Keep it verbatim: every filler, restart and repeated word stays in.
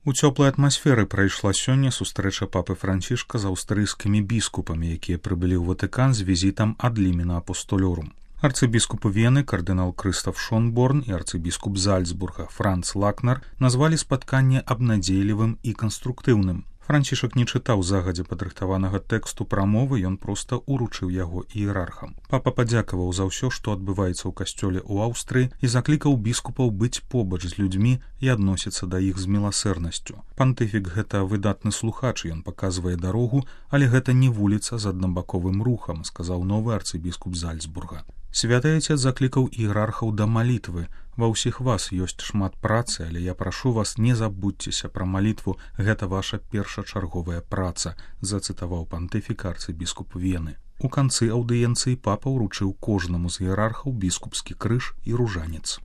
У цёплай атмасферы прайшла сёння сустрэча папы Францішка з аўстрыйскімі біскупамі, якія прыбылі ў Ватыкан з візітам ад Лімена Апостолёрум. Арцыбіскуп Вены кардынал Крыстаф Шонборн і арцыбіскуп Зальцбурга Франц Лакнер назвалі спатканне абнадзейлівым і канструктыўным. Францішак не чытаў загадзя падрыхтаванага тэксту прамовы, ён проста уручыў яго іерархам. Папа падзякаваў за ўсё, што адбываецца ў касцёле ў Аўстрыі і заклікаў біскупаў быць побач з людзьмі і адносіцца да іх з міласэрнасцю. Пантыфік гэта выдатны слухач, ён паказвае дарогу, але гэта не вуліца з аднабаковым рухам, сказаў новы арцыбіскуп Зальцбурга. Святы Айцец заклікаў іерархаў да малітвы. Ва ўсіх вас ёсць шмат працы, але я прашу вас, не забудзьцеся пра малітву, гэта ваша першачарговая праца, зацытаваў пантыфік арцыбіскуп Вены. У канцы аўдыенцыі папа ўручыў кожнаму з іерархаў біскупскі крыж і ружанец.